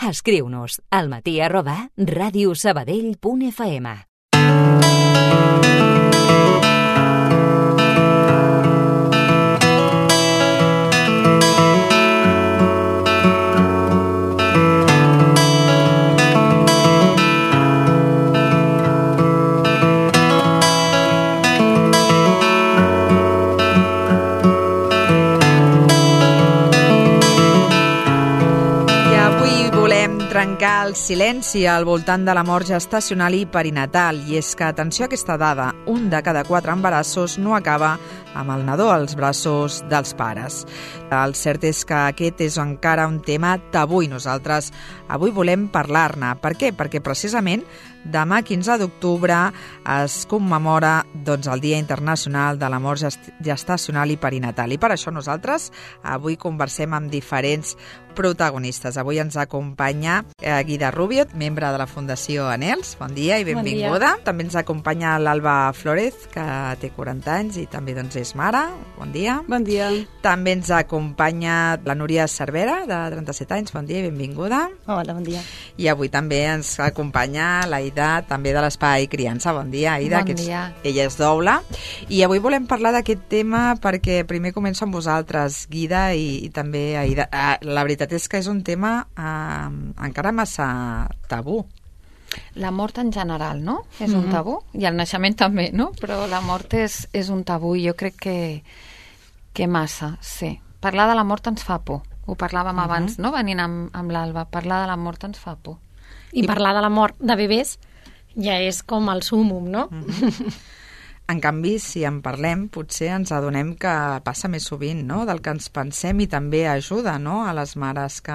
Escriu-nos al matí@radiosabadell.fm. Trencar el silenci al voltant de la mort gestacional i perinatal. I és que, atenció a aquesta dada, 1 de cada 4 embarassos no acaba amb el nadó als braços dels pares. El cert és que aquest és encara un tema tabú i nosaltres avui volem parlar-ne. Per què? Perquè precisament demà 15 d'octubre es commemora el Dia Internacional de la Mort Gestacional i Perinatal. I per això nosaltres avui conversem amb diferents protagonistes. Avui ens acompanya Guida Rubio, membre de la Fundació Anhels. Bon dia i benvinguda. Bon dia. També ens acompanya l'Alba Flórez, que té 40 anys i també és mare. Bon dia. Bon dia. També ens acompanya la Núria Cervera, de 37 anys. Bon dia i benvinguda. Hola, bon dia. I avui també ens acompanya l'Aida, també de l'Espai Criança. Bon dia, Aida. Bon dia. Ella és doble. I avui volem parlar d'aquest tema perquè primer començo amb vosaltres, Guida, i també Aida. La veritat és que és un tema encara massa tabú. La mort en general, no? És un tabú. I el naixement també, no? Però la mort és un tabú i jo crec que massa, sí. Parlar de la mort ens fa por. Ho parlàvem abans, no? Venint amb l'Alba. Parlar de la mort ens fa por. I parlar de la mort de bebès ja és com el súmmum, no? En canvi, si en parlem, potser ens adonem que passa més sovint, no?, del que ens pensem i també ajuda, no?, a les mares que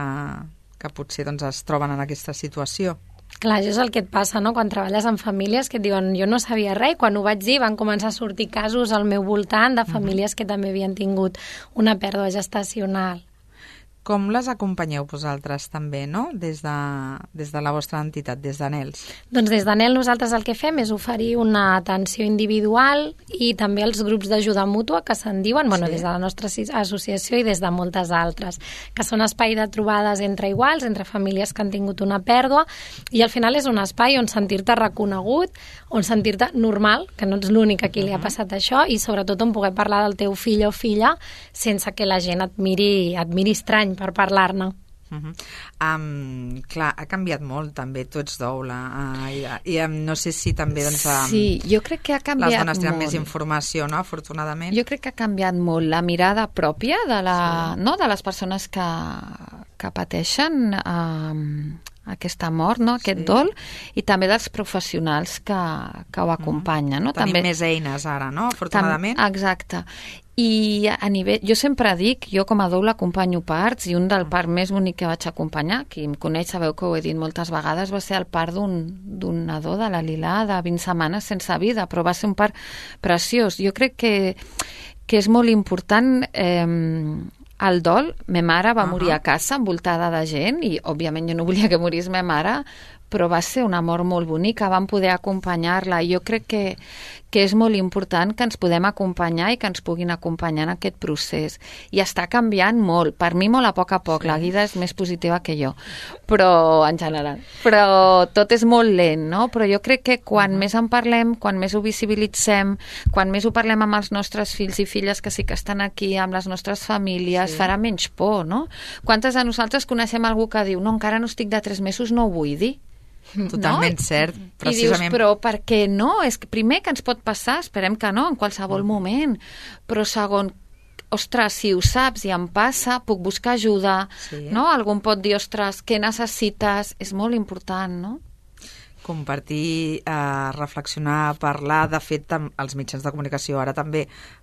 potser es troben en aquesta situació. Clar, això és el que et passa, no?, quan treballes en famílies que et diuen jo no sabia res, i quan ho vaig dir van començar a sortir casos al meu voltant de famílies que també havien tingut una pèrdua gestacional. Com les acompanyeu vosaltres també, no?, des de la vostra entitat, des d'Anhels? Doncs des d'Anhels nosaltres el que fem és oferir una atenció individual i també els grups d'ajuda mútua que se'n diuen, bueno, des de la nostra associació i des de moltes altres, que són espai de trobades entre iguals, entre famílies que han tingut una pèrdua, i al final és un espai on sentir-te reconegut, on sentir-te normal, que no ets l'únic a qui li ha passat això, i sobretot on poder parlar del teu fill o filla sense que la gent et miri estrany per parlar-ne. Clar, ha canviat molt també, tu ets doble, i no sé si també sí, jo crec que ha canviat les dones tenen molt. Més informació, no?, afortunadament. Jo crec que ha canviat molt la mirada pròpia de les persones que pateixen aquesta mort, no?, aquest dol, i també dels professionals que ho acompanyen, no? Tenim més eines ara, no?, afortunadament. Exacte. I a nivell, jo sempre dic, jo com a doula acompanyo parts, i un del part més bonic que vaig acompanyar, qui em coneix sabeu que ho he dit moltes vegades, va ser el part d'un nadó de la Lilà de 20 setmanes sense vida, però va ser un part preciós. Jo crec que és molt important el dol. Ma mare va morir a casa envoltada de gent i òbviament jo no volia que morís ma mare, però va ser una mort molt bonica, vam poder acompanyar-la. Jo crec que és molt important que ens podem acompanyar i que ens puguin acompanyar en aquest procés. I està canviant molt, per mi molt a poc, la Guida és més positiva que jo, però en general. Però tot és molt lent, no? Però jo crec que quan més en parlem, quan més ho visibilitzem, quan més ho parlem amb els nostres fills i filles que sí que estan aquí, amb les nostres famílies, farà menys por, no? Quantes de nosaltres coneixem algú que diu no, encara no estic de 3 mesos, no ho vull dir? Totalment cert, precisament. I dius, però per què no? És que primer que ens pot passar, esperem que no, en qualsevol moment, però segon, ostres, si ho saps i em passa, puc buscar ajuda, no? Algú em pot dir, ostres, què necessites? És molt important, no? Compartir, reflexionar, parlar. De fet, els mitjans de comunicació ara també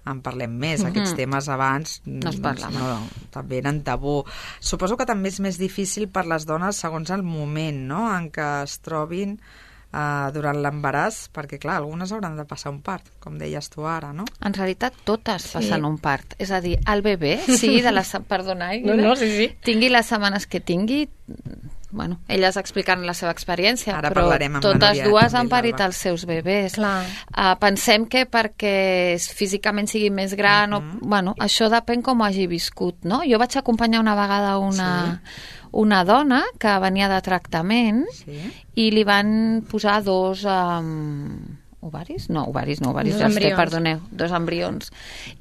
en parlem més. Aquests temes abans no es parlaven. També eren tabú. Suposo que també és més difícil per les dones segons el moment, no?, en què es trobin durant l'embaràs, perquè clar, algunes hauran de passar un part, com deies tu ara, no? En realitat totes passen un part. És a dir, el bebè, sigui de la... Perdona, no, sí. Tingui les setmanes que tingui, bueno, elles explicant la seva experiència, Ara però parlarem amb la totes Núria, dues també, han parit l'Alba. els seus bebès. Clar. Pensem que perquè físicament sigui més gran, bueno, això depèn com ho hagi viscut, no? Jo vaig acompanyar una vegada una dona que venia de tractament i li van posar dos... ovaris? No, ovaris, perdoneu, dos embrions.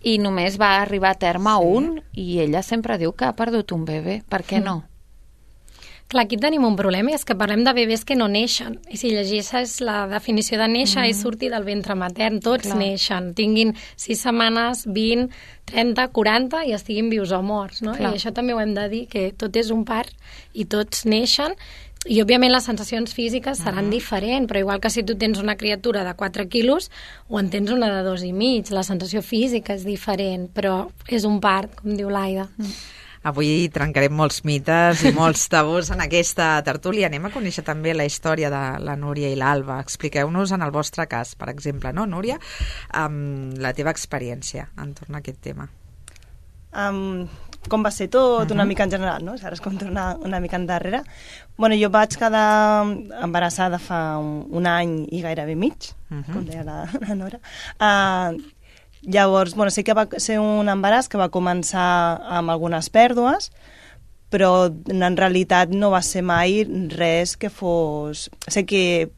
I només va arribar a terme un i ella sempre diu que ha perdut un bebè. Per què no? Clar, aquí tenim un problema, i és que parlem de bebès que no neixen. I si llegeixes la definició de néixer és sortir del ventre matern. Tots neixen, tinguin 6 setmanes, 20, 30, 40 i estiguin vius o morts, no? I això també ho hem de dir, que tot és un part i tots neixen. I, òbviament, les sensacions físiques seran diferents, però igual que si tu tens una criatura de 4 quilos o en tens una de 2,5, la sensació física és diferent, però és un part, com diu l'Aida. Avui trencarem molts mites i molts tabús en aquesta tertúlia. Anem a conèixer també la història de la Núria i l'Alba. Expliqueu-nos en el vostre cas, per exemple, no, Núria? La teva experiència entorn a aquest tema. Com va ser tot, una mica en general, no? Ara es compta una mica endarrere. Bueno, jo vaig quedar embarassada fa un any i gairebé mig, com deia la Nora. Llavors, bueno, sí que va ser un embaràs que va començar amb algunes pèrdues, però en realitat no va ser mai res que fos... Sé que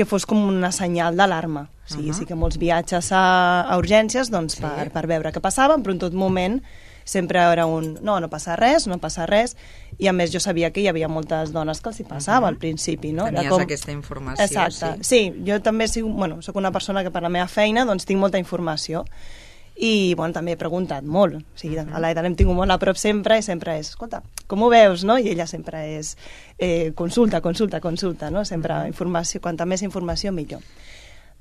fos com una senyal d'alarma. O sigui, sí que molts viatges a urgències doncs, per veure què passava, però en tot moment sempre era no passa res, i a més jo sabia que hi havia moltes dones que els hi passava al principi, no? Tenies aquesta informació. Exacte, sí, jo també soc una persona que per la meva feina doncs tinc molta informació i bueno, també he preguntat molt, o sigui, a l'Aida l'hem tingut molt a prop sempre i sempre és, escolta, com ho veus, no? I ella sempre és consulta, no? Sempre informació, quanta més informació millor.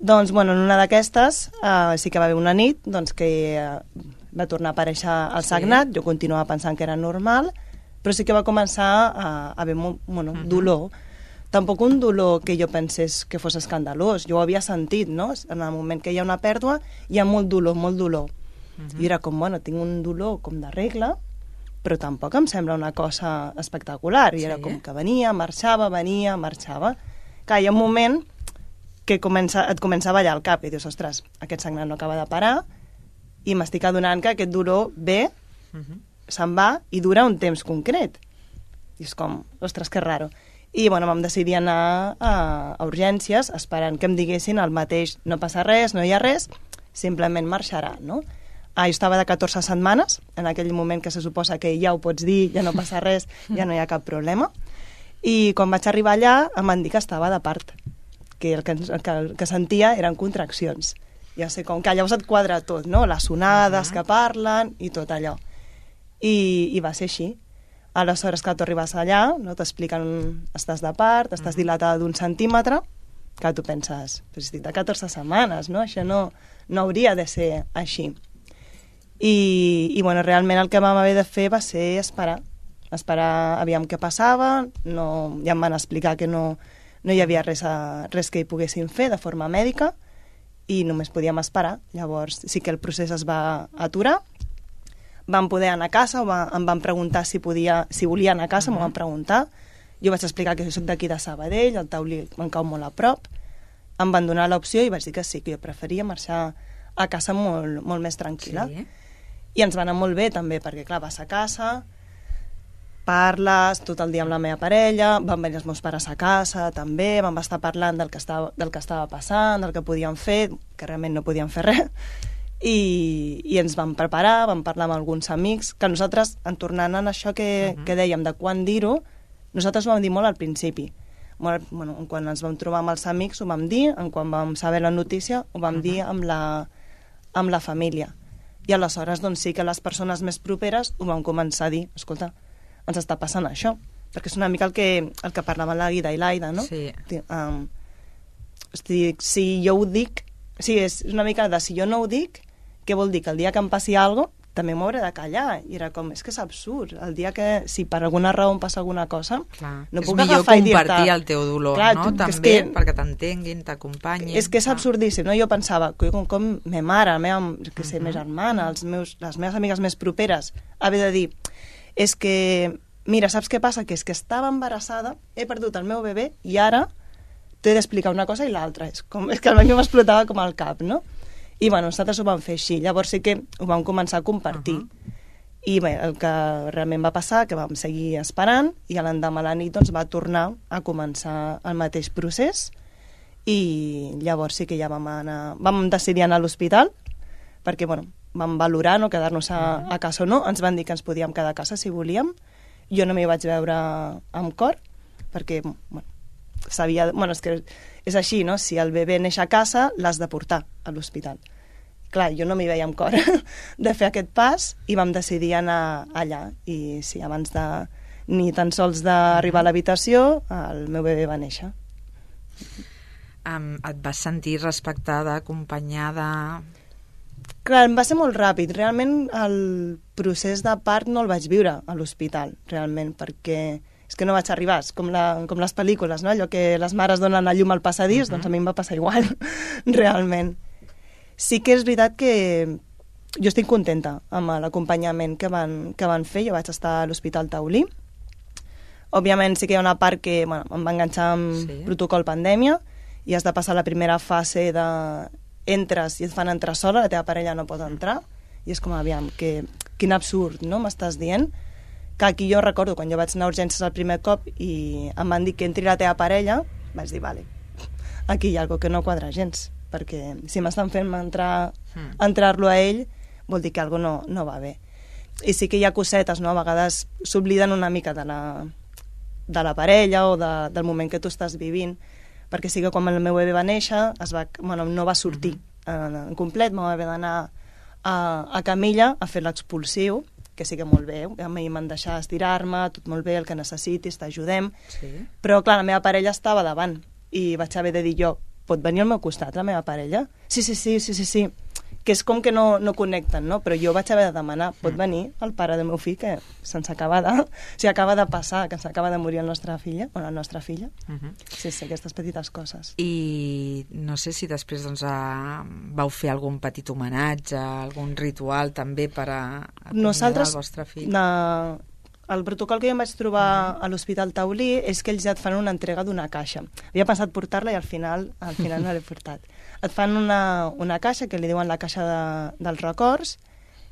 Doncs, bueno, en una d'aquestes sí que va haver una nit doncs, que va tornar a aparèixer el sagnat, jo continuava pensant que era normal, però sí que va començar a haver dolor. Tampoc un dolor que jo pensés que fos escandalós, jo ho havia sentit, no? En el moment que hi ha una pèrdua hi ha molt dolor. I era com, bueno, tinc un dolor com de regla, però tampoc em sembla una cosa espectacular, i era com que venia, marxava. Clar, hi ha un moment que et comença a ballar el cap i dius, ostres, aquest sagnat no acaba de parar i m'estic adonant que aquest dolor ve, se'n va i dura un temps concret. I és com, ostres, que raro. I bueno, vam decidir anar a urgències esperant que em diguessin el mateix, no passa res, no hi ha res, simplement marxarà, no? Jo estava de 14 setmanes, en aquell moment que se suposa que ja ho pots dir, ja no passa res, ja no hi ha cap problema. I quan vaig arribar allà em van dir que estava de part, que el que sentia eren contraccions. Ja sé, com que llavors et quadra tot, no? Les onades que parlen i tot allò. I va ser així. Aleshores, que tu arribes allà, no? T'expliquen, estàs de part, estàs dilatada d'1 centímetre, que tu penses, però estic de 14 setmanes, no? Això no hauria de ser així. I bueno, realment el que vam haver de fer va ser esperar aviam què passava, ja em van explicar que no hi havia res que hi poguessin fer de forma mèdica i només podíem esperar. Llavors sí que el procés es va aturar, vam poder anar a casa, em van preguntar si volia anar a casa, m'ho van preguntar, jo vaig explicar que soc d'aquí de Sabadell, el Taulí em cau molt a prop, em van donar l'opció i vaig dir que sí, que jo preferia marxar a casa molt més tranquil·la. I ens va anar molt bé també, perquè clar, vas a casa, parles tot el dia amb la meva parella, van venir els meus pares a casa també, vam estar parlant del que estava passant, del que podíem fer, que realment no podíem fer res, i ens vam preparar, vam parlar amb alguns amics, que nosaltres, en tornant a això que dèiem de quan dir-ho, nosaltres ho vam dir molt al principi. Quan ens vam trobar amb els amics ho vam dir, quan vam saber la notícia ho vam dir amb la família. I aleshores doncs sí que les persones més properes ho van començar a dir, escolta, ens està passant això, perquè és una mica el que parlaven la Guida i l'Aida, no? Sí. Si jo ho dic, sí, és una mica de si jo no ho dic, què vol dir? Que el dia que em passi alguna cosa, també m'hauré de callar. I era com, és que és absurd. El dia que, si per alguna raó em passa alguna cosa, no puc agafar i dir-te... És millor compartir el teu dolor, no? També, perquè t'entenguin, t'acompanyin. És que és absurdíssim, no? Jo pensava, com ma mare, la meva germana, les meves amigues més properes, haver de dir, és que mira, saps què passa? Que és que estava embarassada, he perdut el meu bebè i ara t'he d'explicar una cosa i l'altra. És que a mi m'explotava com al cap, no? I bueno, nosaltres ho vam fer així. Llavors sí que ho vam començar a compartir. I bé, el que realment va passar, que vam seguir esperant, i a l'endemà a la nit doncs, va tornar a començar el mateix procés, i llavors sí que ja vam decidir anar a l'hospital, perquè bueno, vam valorar no, quedar-nos a casa o no, ens van dir que ens podíem quedar a casa si volíem, jo no m'hi vaig veure amb cor, perquè bueno, sabia, bueno, és que és així, no? Si el bebè neix a casa, l'has de portar a l'hospital. Clar, jo no m'hi veia amb cor de fer aquest pas i vam decidir anar allà. I sí, abans de ni tan sols d'arribar a l'habitació, el meu bebè va néixer. Et vas sentir respectada, acompanyada? Clar, va ser molt ràpid. Realment el procés de part no el vaig viure a l'hospital, realment, perquè és que no vaig arribar, és com les pel·lícules, no? Allò que les mares donen a llum al passadís, doncs a mi em va passar igual, realment. Sí que és veritat que jo estic contenta amb l'acompanyament que van fer. Jo vaig estar a l'Hospital Taulí. Òbviament sí que hi ha una part que bueno, em va enganxar amb protocol pandèmia i has de passar la primera fase de entres i et fan entrar sola, la teva parella no pot entrar, i és com, aviam, quin absurd, no? M'estàs dient? Que aquí jo recordo, quan jo vaig anar a urgències el primer cop i em van dir que entri la teva parella, vaig dir, vale, aquí hi ha alguna cosa que no quadra gens, perquè si m'estan fent entrar-lo a ell, vol dir que alguna cosa no va bé. I sí que hi ha cosetes, no? A vegades s'obliden una mica de la parella o del moment que tu estàs vivint, perquè sí que quan el meu bebè va néixer no va sortir en complet, m'ho va haver d'anar a camilla a fer l'expulsiu, que sí que molt bé, a mi m'han deixat estirar-me, tot molt bé, el que necessitis, t'ajudem, però clar, la meva parella estava davant i vaig haver de dir jo, pot venir al meu costat la meva parella? Sí, que és com que no connecten, no? Però jo vaig haver de demanar, pot venir el pare del meu fill, que acaba de passar, que s'acaba de morir la nostra filla. Sí, aquestes petites coses. I no sé si després doncs, vau fer algun petit homenatge, algun ritual també per acomiadar el vostre fill. El protocol que jo em vaig trobar a l'Hospital Taulí és que ells ja et fan una entrega d'una caixa. Havia pensat portar-la i al final no l'he portat. Et fan una caixa que li diuen la caixa dels records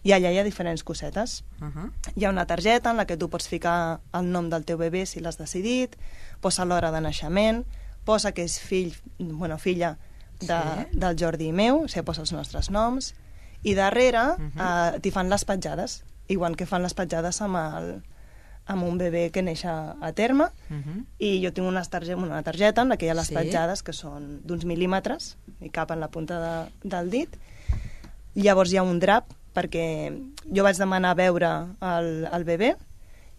i allà hi ha diferents cosetes. Hi ha una targeta en la que tu pots ficar el nom del teu bebè si l'has decidit, posa l'hora de naixement, posa que és filla del Jordi i meu, o sigui, posa els nostres noms, i darrere t'hi fan les petjades, igual que fan les petjades amb un bebè que neix a terme, i jo tinc una targeta en la que hi ha les petjades, que són d'uns mil·límetres, i cap en la punta del dit. Llavors hi ha un drap, perquè jo vaig demanar veure el bebè,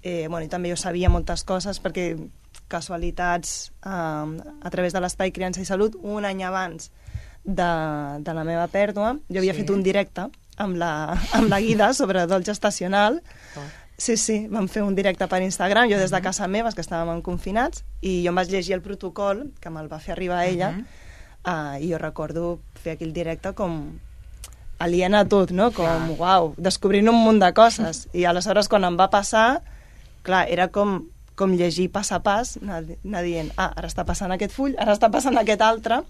i també jo sabia moltes coses, perquè casualitats a través de l'Espai Criança i Salut, un any abans de la meva pèrdua, jo havia fet un directe amb la guida sobre dol gestacional. Sí, vam fer un directe per Instagram, jo des de casa meva, que estàvem confinats, i jo em vaig llegir el protocol, que me'l va fer arribar a ella, i jo recordo fer aquell directe com aliena a tot, no? Com, uau, descobrint un munt de coses. I aleshores, quan em va passar, clar, era com llegir pas a pas, anar dient, ara està passant aquest full, ara està passant aquest altre,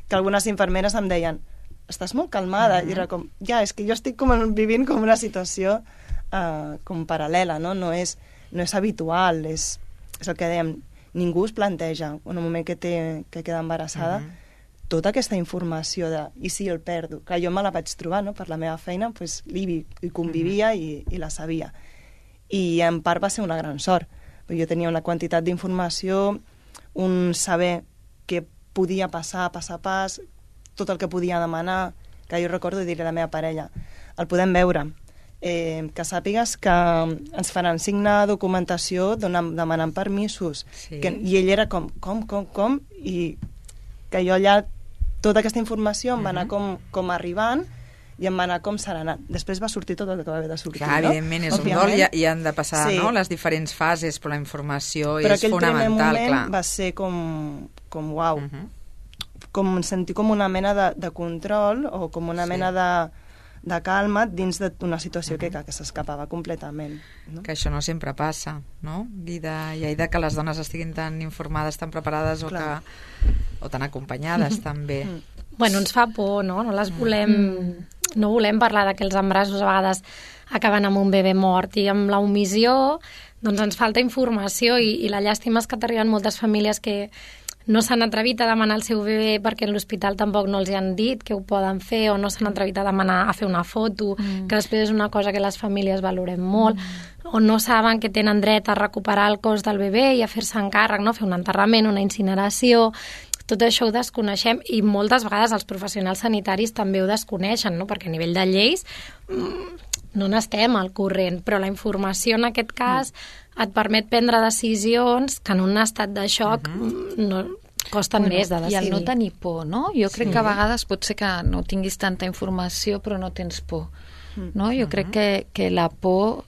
que algunes infermeres em deien, estàs molt calmada, i era com, és que jo estic vivint com una situació com paral·lela, no? No és habitual, és el que dèiem, ningú es planteja en un moment que queda embarassada tota aquesta informació de i si el perdo, que jo me la vaig trobar, no? Per la meva feina, hi convivia i la sabia, i en part va ser una gran sort, perquè jo tenia una quantitat d'informació, un saber què podia passar pas a pas, tot el que podia demanar, que jo recordo dir a la meva parella, el podem veure, que sàpigues que ens faran signar documentació demanant permisos, i ell era com, i que jo allà tota aquesta informació em va anar com arribant i em va anar com serenat. Després va sortir tot el que va haver de sortir. Clar, evidentment, és un dol i han de passar les diferents fases, però la informació és fonamental. Però aquell primer moment va ser com uau, com sentir com una mena de control o com una mena de calma dins d'una situació que s'escapava completament. No? Que això no sempre passa, no? I de que les dones estiguin tan informades, tan preparades o tan acompanyades també. Bueno, ens fa por, no? No les volem... No volem parlar de que els embarassos a vegades acaben amb un bebè mort i amb la omissió doncs ens falta informació i la llàstima és que t'arriben moltes famílies que no s'han atrevit a demanar el seu bebè perquè en l'hospital tampoc no els hi han dit que ho poden fer o no s'han atrevit a demanar a fer una foto, que després és una cosa que les famílies valorem molt, o no saben que tenen dret a recuperar el cos del bebè i a fer-se càrrec, no? Fer un enterrament, una incineració... Tot això ho desconeixem i moltes vegades els professionals sanitaris també ho desconeixen, no? Perquè a nivell de lleis no n'estem al corrent, però la informació en aquest cas et permet prendre decisions que en un estat de xoc no costen més de decidir. I el no tenir por, no? Jo crec que a vegades pot ser que no tinguis tanta informació però no tens por, no? Jo crec que la por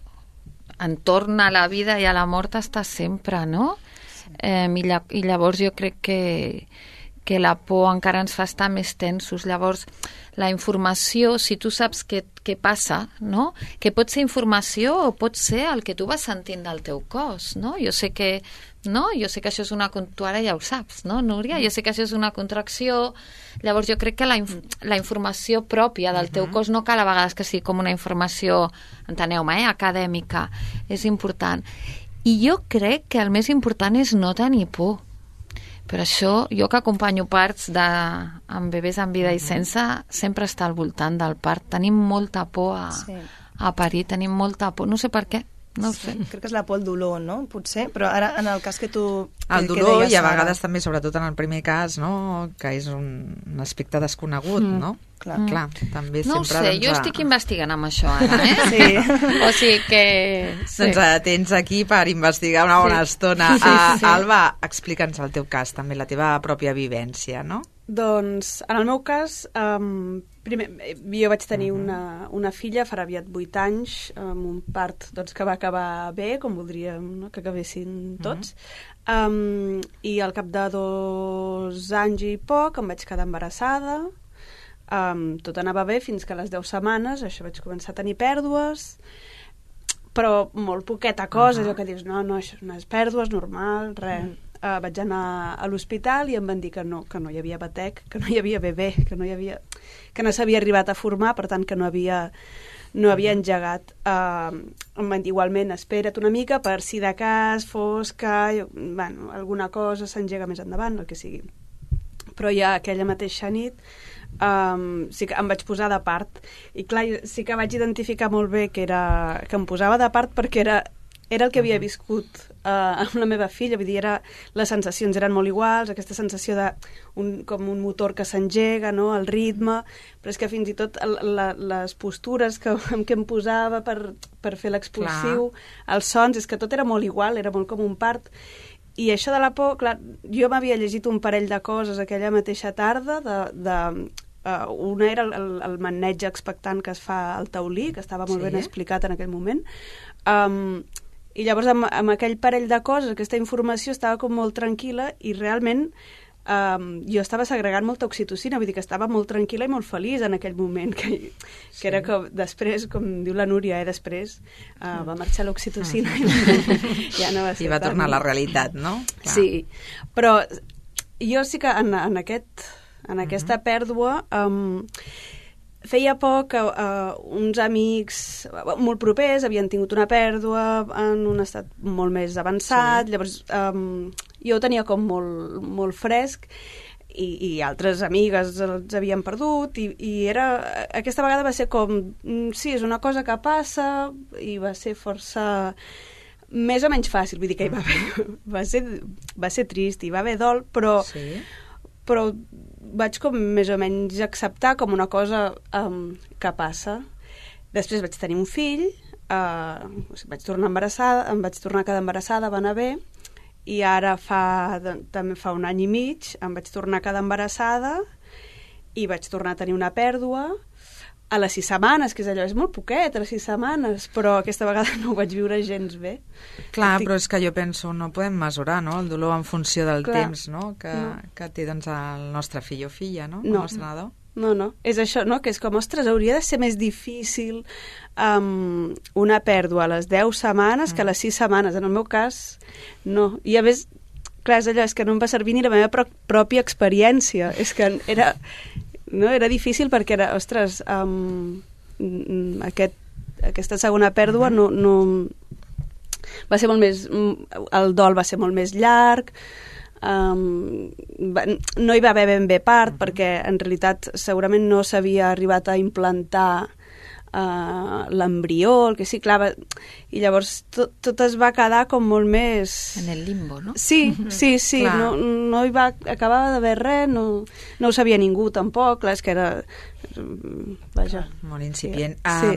entorn a la vida i a la mort està sempre, no? I llavors jo crec que la por encara ens fa estar més tensos. Llavors, la informació, si tu saps què passa, no? Que pot ser informació o pot ser el que tu vas sentint del teu cos, no? Jo sé que això és una... Tu ara ja ho saps, no, Núria? Jo sé que això és una contracció. Llavors, jo crec que la informació pròpia del teu cos no cal a vegades que sigui com una informació, enteneu-me, acadèmica. És important. I jo crec que el més important és no tenir por. Per això, jo que acompanyo parts amb bebès en vida i sense, sempre està al voltant del part. Tenim molta por a parir, tenim molta por. No sé per què, no ho sé. Crec que és la por al dolor, no? Potser, però ara en el cas que tu... El dolor i a vegades també, sobretot en el primer cas, no? Que és un aspecte desconegut, no? Clar, també no sempre... No ho sé, jo estic investigant amb això ara, Sí. O sigui que... Sí. Doncs tens aquí per investigar una bona estona. Alba, explica'ns el teu cas, també, la teva pròpia vivència, no? Doncs, en el meu cas, primer, jo vaig tenir una filla, farà aviat 8 anys, amb un part que va acabar bé, com voldríem, no? Que acabessin tots. I al cap de 2 anys i poc em vaig quedar embarassada. Tot anava bé fins que a les 10 setmanes això vaig començar a tenir pèrdues, però molt poqueta cosa, allò que dius, no, això no és pèrdues, normal, res. Vaig anar a l'hospital i em van dir que no hi havia batec, que no hi havia bebè, que no s'havia arribat a formar, per tant que no havia engegat. Em van dir igualment, espera't una mica per si de cas fos que alguna cosa s'engega més endavant, el que sigui. Però ja aquella mateixa nit sí que em vaig posar de part i clar, sí que vaig identificar molt bé que em posava de part perquè era el que havia viscut amb la meva filla, vull dir, les sensacions eren molt iguals, aquesta sensació de com un motor que s'engega, no? El ritme, però és que fins i tot les postures en què em posava per fer l'expulsiu, els sons, és que tot era molt igual, era molt com un part. I això de la por, clar, jo m'havia llegit un parell de coses aquella mateixa tarda una era el maneig expectant que es fa al taulí, que estava molt ben explicat en aquell moment, i llavors amb aquell parell de coses, aquesta informació estava com molt tranquil·la i realment jo estava segregant molta oxitocina, vull dir que estava molt tranquil·la i molt feliç en aquell moment, que era que després, com diu la Núria, després va marxar l'oxitocina i ja no va ser I va tornar a la realitat, no? Clar. Sí, però jo sí que en aquesta pèrdua feia poc que uns amics molt propers havien tingut una pèrdua en un estat molt més avançat, llavors jo ho tenia com molt, molt fresc i altres amigues els havien perdut i aquesta vegada va ser com sí, és una cosa que passa i va ser força més o menys fàcil, vull dir que va ser trist i va haver dol, però vaig com més o menys acceptar com una cosa que passa. Després vaig tenir un fill, vaig tornar embarassada, em vaig tornar a quedar embarassada, va anar bé, i ara també fa 1 any i mig em vaig tornar a quedar embarassada i vaig tornar a tenir una pèrdua a les 6 setmanes, que és allò, és molt poquet, a les 6 setmanes, però aquesta vegada no ho vaig viure gens bé. Clar, però és que jo penso, no podem mesurar, no?, el dolor en funció del temps, no?, que té, doncs, el nostre fill o filla, no?, el nostre nadó. No. És això, no? Que és com, ostres, hauria de ser més difícil una pèrdua a les 10 setmanes que a les 6 setmanes. En el meu cas, no. I a més, clar, és allò, és que no em va servir ni la meva pròpia experiència. És que era difícil perquè era, ostres, aquesta segona pèrdua no va ser molt més... El dol va ser molt més llarg, no hi va haver ben bé part perquè en realitat segurament no s'havia arribat a implantar l'embrió, el que sí, clar, i llavors tot es va quedar com molt més... En el limbo, no? Sí, no hi va acabar d'haver res, no ho sabia ningú tampoc, clar, és que era... Vaja. Molt incipient. Sí.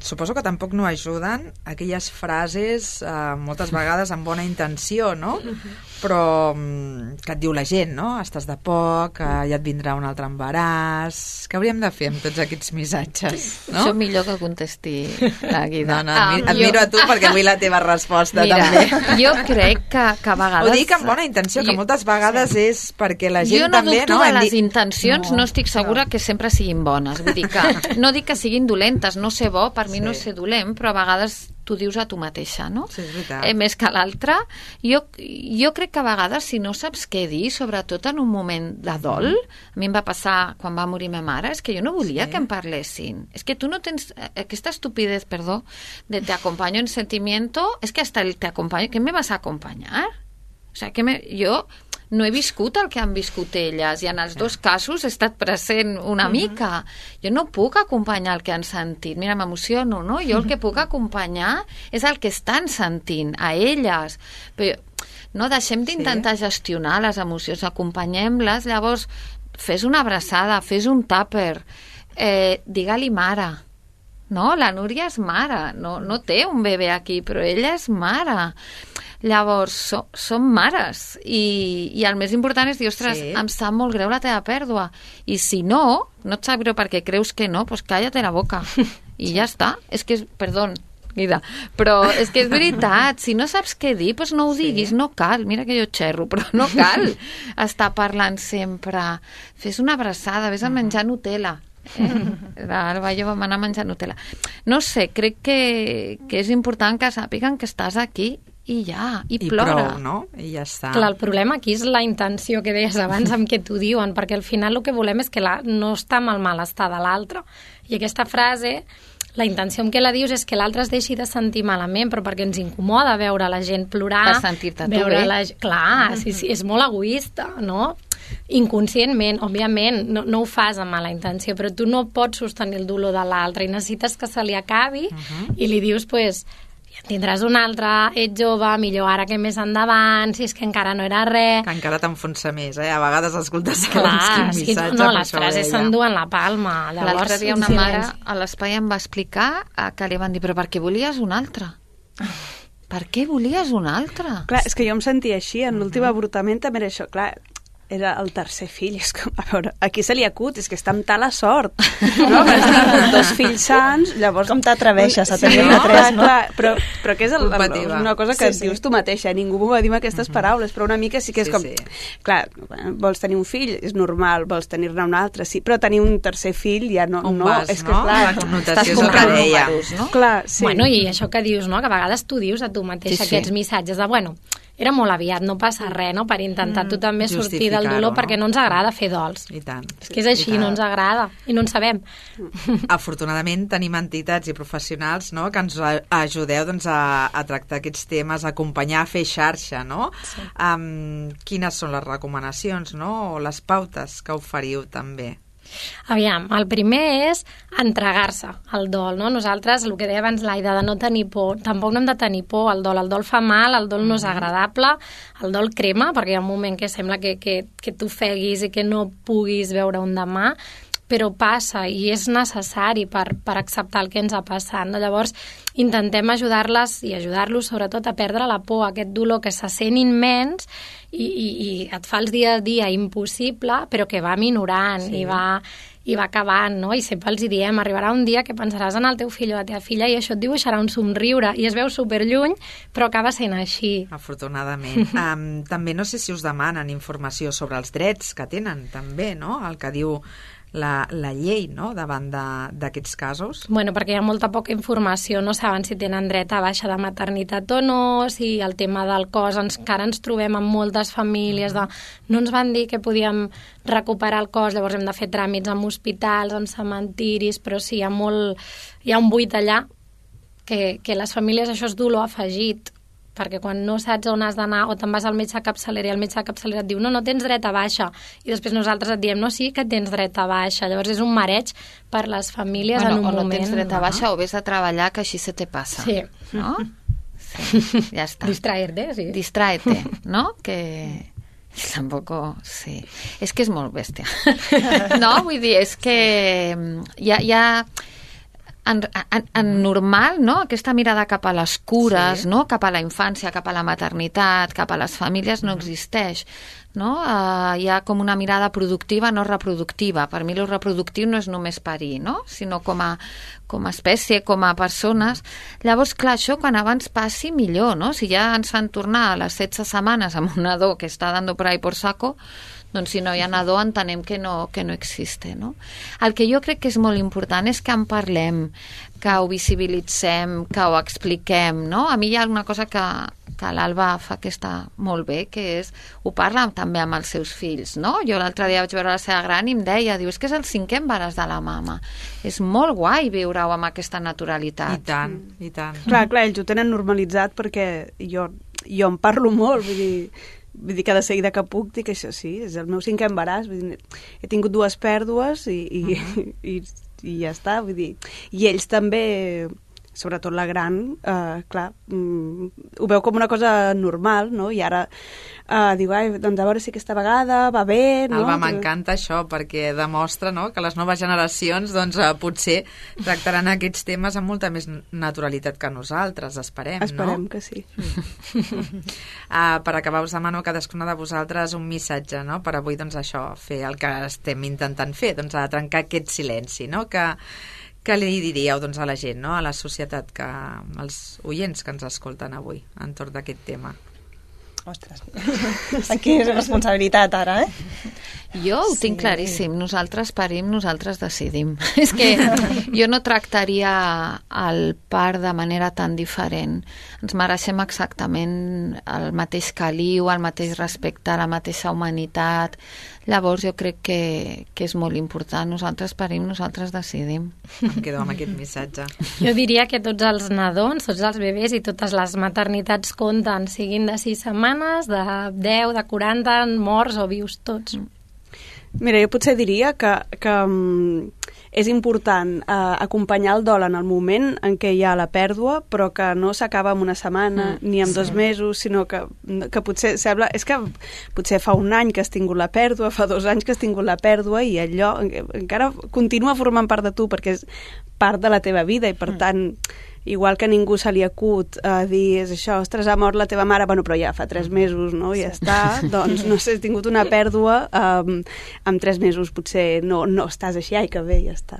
Suposo que tampoc no ajuden aquelles frases, moltes vegades amb bona intenció, no? Però que et diu la gent, no? Estàs de poc, ja et vindrà un altre embaràs... Què hauríem de fer amb tots aquests missatges? No? Això millor que contesti la Guida. No, et miro a tu perquè vull la teva resposta. Mira, també. Jo crec que a vegades... Ho dic amb bona intenció, que moltes vegades és perquè la gent també... Jo no dubto de les intencions, no estic segura que sempre siguin bones. Vull dir que no dic que siguin dolentes, no ser bo, per mi no és ser dolent, però a vegades tu dius a tu mateixa, no? Sí, és veritat. Més que l'altre. Jo crec que a vegades, si no saps què dir, sobretot en un moment de dol, a mi em va passar quan va morir ma mare, és que jo no volia que em parlessin. És que tu no tens aquesta estupidez, perdó, de te acompaño en sentimiento, és que hasta el te acompaño, ¿qué me vas a acompañar? O sea, jo no he viscut el que han viscut elles i en els dos casos he estat present una mica. Jo no puc acompanyar el que han sentit. Mira, m'emociono, no? Jo el que puc acompanyar és el que estan sentint, a elles. Però no deixem d'intentar gestionar les emocions, acompanyem-les, llavors fes una abraçada, fes un tàper, digue-li mare. No, la Núria és mare, no té un bebè aquí, però ella és mare. Llavors, som mares i el més important és dir, ostres, em sap molt greu la teva pèrdua, i si no et sap greu perquè creus que no, doncs cállate la boca i ja està. És que, perdó, Guida, però és que és veritat, si no saps què dir, doncs no ho diguis, no cal, mira que jo xerro, però no cal estar parlant sempre. Fes una abraçada, vés a menjar Nutella. L'Alba i jo vam anar a menjar Nutella. No sé, crec que és important que sàpiguen que estàs aquí i ja, i plora. I prou, no? I ja està. Clar, el problema aquí és la intenció que deies abans amb què t'ho diuen, perquè al final el que volem és que no està amb el malestar de l'altre. I aquesta frase, la intenció amb què la dius és que l'altre es deixi de sentir malament, però perquè ens incomoda veure la gent plorar. Per sentir-te tu bé. Clar, sí, és molt egoista, no? Inconscientment, òbviament, no ho fas amb mala intenció, però tu no pots sostenir el dolor de l'altre i necessites que se li acabi i li dius, pues, ja tindràs un altre, ets jove, millor ara que més endavant, si és que encara no era res. Que encara t'enfonsa més, A vegades escoltes quin missatge. No, les frases s'enduen la palma. L'altre dia una mare a l'espai em va explicar que li van dir, però per què volies un altre? Per què volies un altre? Clar, és que jo em sentia així, en l'últim avortament també era això, clar, era el tercer fill, és com, a veure, aquí se li acut, és que està amb tal sort, no? Has tingut 2 fills sants, llavors... Com t'atreveixes a tenir una 3, no? Clar, però que és una cosa que dius tu mateixa, ningú m'ho va dir amb aquestes paraules, però una mica sí que és com... Clar, vols tenir un fill, és normal, vols tenir-ne un altre, sí, però tenir un tercer fill ja no... És que, clar, la connotació és el que deia. Clar, sí. Bueno, i això que dius, no?, que a vegades tu dius a tu mateixa aquests missatges de, bueno, era molt aviat, no passa res, no?, per intentar tu també sortir del dolor, perquè no ens agrada fer dols. I tant. És que és així, no ens agrada, i no en sabem. Afortunadament tenim entitats i professionals, no?, que ens ajudeu doncs, a tractar aquests temes, a acompanyar, a fer xarxa, no? Sí. Quines són les recomanacions, no?, o les pautes que oferiu també? Aviam, el primer és entregar-se al dol, no? Nosaltres, el que deia abans l'Aida, de no tenir por, tampoc no hem de tenir por al dol fa mal, el dol no és agradable, el dol crema, perquè hi ha un moment que sembla que t'ofeguis i que no puguis veure un demà, però passa i és necessari per acceptar el que ens ha passat. No? Llavors, intentem ajudar-les i ajudar-los sobretot a perdre la por, aquest dolor que se sent immens i et fa el dia a dia impossible, però que va minorant i va acabant, no? I sempre els diem, arribarà un dia que pensaràs en el teu fill o la teva filla i això et dibuixarà un somriure i es veu superlluny, però acaba sent així. Afortunadament. També no sé si us demanen informació sobre els drets que tenen, també, no? El que diu la llei, no?, davant d'aquests casos? Bueno, perquè hi ha molta poca informació, no saben si tenen dret a baixa de maternitat o no, si el tema del cos, encara ens trobem amb moltes famílies de no ens van dir que podíem recuperar el cos, llavors hem de fer tràmits en hospitals, en cementiris, però sí, hi ha un buit allà que les famílies això és dolor afegit, perquè quan no saps on has d'anar o te'n vas al metge de capçalera i el metge de capçalera et diu no tens dret a baixa, i després nosaltres et diem no, sí que tens dret a baixa, llavors és un mareig per les famílies en un moment. O no tens dret a baixa o vés a treballar, que així se te passa. Sí. No? Sí, ja està. Distraerte, sí. Distraerte, ¿no? Que tampoco, sí. És que és molt bèstia. No, vull dir, és que ja en normal, no? Aquesta mirada cap a les cures, no? Cap a la infància, cap a la maternitat, cap a les famílies no existeix, no? Hi ha com una mirada productiva, no reproductiva. Per mi lo reproductiu no és només parir, no? Sinó com a espècie, com a persones. Llavors, clar, això quan abans passi millor, no? Si ja ens fan tornar a les 16 setmanes amb un nadó que està dando por ahí por saco, doncs si no hi ha nadó entenem que no existe, no? El que jo crec que és molt important és que en parlem, que ho visibilitzem, que ho expliquem, no? A mi hi ha alguna cosa que l'Alba fa que està molt bé, que és, ho parla també amb els seus fills, no? Jo l'altre dia vaig veure la seva gran i em deia, diu, és que és el 5è embaràs de la mama. És molt guai viure-ho amb aquesta naturalitat. I tant, i tant. Clar, ells ho tenen normalitzat perquè jo en parlo molt, vull dir que de seguida que puc dic això, sí, és el meu 5è embaràs, vull dir, he tingut 2 pèrdues i ja està, vull dir, i ells també, sobretot la gran, clar, ho veu com una cosa normal, no? I ara diu, doncs a veure si aquesta vegada va bé, no? Alba, m'encanta això, perquè demostra, no?, que les noves generacions doncs, potser tractaran aquests temes amb molta més naturalitat que nosaltres, esperem, no? Esperem que sí. Per acabar, us demano a cadascuna de vosaltres un missatge, no?, per avui, doncs això, fer el que estem intentant fer, doncs a trencar aquest silenci, no?, que li diríeu doncs, a la gent, no?, a la societat, als oients que ens escolten avui entorn d'aquest tema? Ostres, aquí és responsabilitat ara, Jo ho tinc claríssim, nosaltres parim, nosaltres decidim. És que jo no tractaria el part de manera tan diferent. Ens mereixem exactament el mateix caliu, el mateix respecte, la mateixa humanitat. Llavors jo crec que és molt important. Nosaltres parim, nosaltres decidim. Em quedo amb aquest missatge. Jo diria que tots els nadons, tots els bebès i totes les maternitats compten, siguin de 6 setmanes, de 10, de 40, morts o vius tots. Mira, jo potser diria que és important acompanyar el dol en el moment en què hi ha la pèrdua, però que no s'acaba en una setmana ni en 2 mesos, sinó que potser sembla... És que potser fa 1 any que has tingut la pèrdua, fa 2 anys que has tingut la pèrdua i allò encara continua formant part de tu perquè és part de la teva vida i per tant... Igual que a ningú se li acut dir, és això, ostres, ha mort la teva mare, bueno, però ja fa 3 mesos, no? Ja està, doncs, no sé, has tingut una pèrdua, en 3 mesos potser no estàs així, ai, que bé, ja està.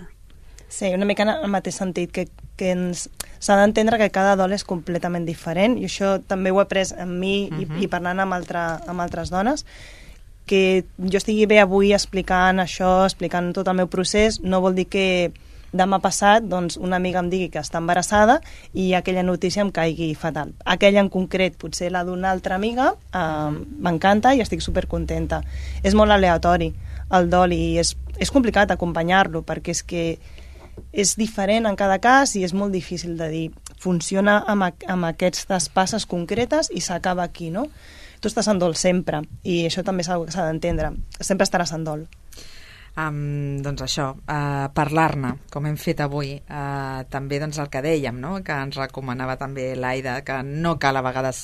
Sí, una mica en el mateix sentit, que s'ha d'entendre que cada dol és completament diferent, i això també ho he après en mi i parlant amb altres dones, que jo estigui bé avui explicant això, explicant tot el meu procés, no vol dir que demà passat doncs, una amiga em digui que està embarassada i aquella notícia em caigui fatal. Aquella en concret, potser la d'una altra amiga, m'encanta i estic supercontenta. És molt aleatori el dol i és complicat acompanyar-lo perquè és que és diferent en cada cas i és molt difícil de dir. Funciona amb aquestes passes concretes i s'acaba aquí, no? Tu estàs en dol sempre i això també és una cosa que s'ha d'entendre. Sempre estaràs en dol. Doncs això, parlar-ne, com hem fet avui, també doncs, el que dèiem, no? Que ens recomanava també l'Aida, que no cal a vegades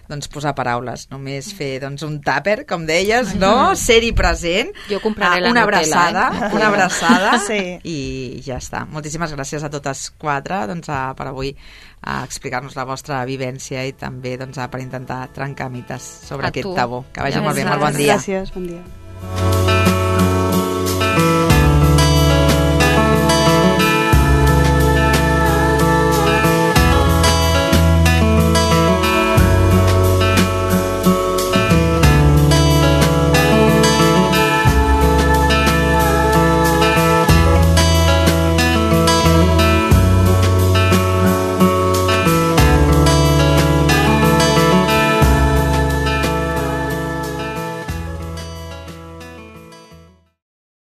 doncs, posar paraules, només fer doncs, un tàper, com deies, no? Ser-hi present, jo compraré la una Nutella, abraçada, una abraçada sí. I ja està. Moltíssimes gràcies a totes 4 doncs, per avui explicar-nos la vostra vivència i també doncs, per intentar trencar mites sobre aquest tabú. Que vagi molt bé, molt bon dia. Gràcies, bon dia.